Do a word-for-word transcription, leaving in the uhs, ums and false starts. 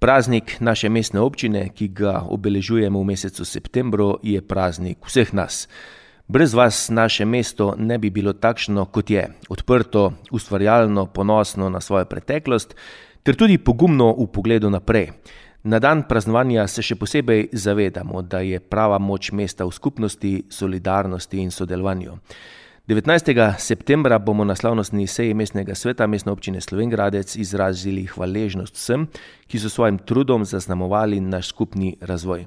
Praznik naše mestne občine, ki ga obeležujemo v mesecu septembru, je praznik vseh nas. Brez vas naše mesto ne bi bilo takšno, kot je, odprto, ustvarjalno, ponosno na svojo preteklost, ter tudi pogumno v pogledu naprej. Na dan praznovanja se še posebej zavedamo, da je prava moč mesta v skupnosti, solidarnosti in sodelovanju. devetnajstega septembra bomo na slavnostni seji mestnega sveta Mestne občine Slovenj Gradec izrazili hvaležnost vsem, ki so svojim trudom zaznamovali naš skupni razvoj.